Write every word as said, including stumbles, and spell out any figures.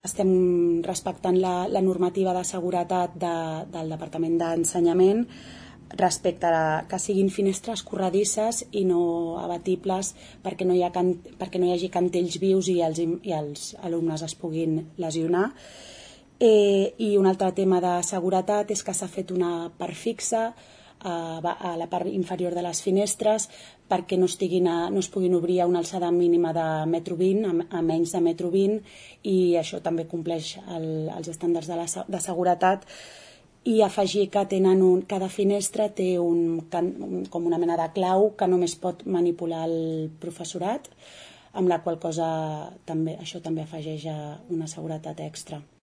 Estem respectant la, la normativa de seguretat de, del Departament d'Ensenyament respecte a que siguin finestres corredisses i no abatibles perquè no hi, ha can, perquè no hi hagi cantells vius i els, i els alumnes es puguin lesionar. Eh, I un altre tema de seguretat és que s'ha fet una part fixa a, a la part inferior de les finestres perquè no, estiguin a, no es puguin obrir a una alçada mínima de metro vint, a, a menys de metro vint, i això també compleix el, els estàndards de, la, de seguretat. I afegir que tenen un, cada finestra té un, com una mena de clau que només pot manipular el professorat, amb la qual cosa també, això també afegeix una seguretat extra.